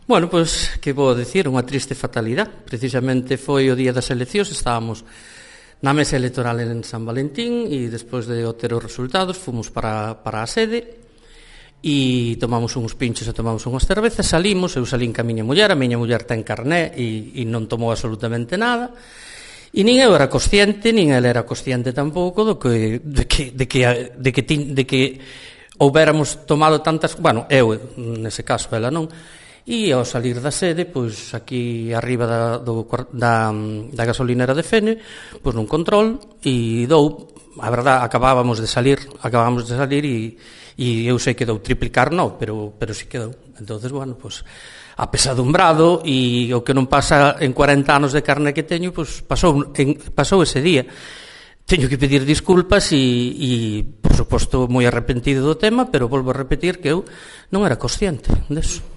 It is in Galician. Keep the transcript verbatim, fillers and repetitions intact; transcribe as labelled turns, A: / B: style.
A: Bueno, pois, que vou dicir, unha triste fatalidade. Precisamente foi o día das eleccións, estábamos na mesa electoral en San Valentín e despois de obter os resultados fomos para, para a sede e tomamos uns pinchos e tomamos unhas cervezas, salimos, eu salín ca miña muller, a miña muller ten carné e, e non tomou absolutamente nada, e nin eu era consciente, nin ela era consciente tampouco do que, de que, de que, de que, de que, de que houbéramos tomado tantas, bueno, eu, nese caso, ela non. E ao salir da sede, pois aquí arriba da, do, da, da gasolinera de Fene, pois nun control, e dou, a verdad, acabábamos de salir, acabábamos de salir e, e eu sei que dou triplicar, non, pero, pero sí que dou. Entonces, bueno, pois, apesadumbrado, e o que non pasa en cuarenta anos de carne que teño, pois pasou, en, pasou ese día. Teño que pedir disculpas e, e, por suposto, moi arrepentido do tema, pero volvo a repetir que eu non era consciente deso.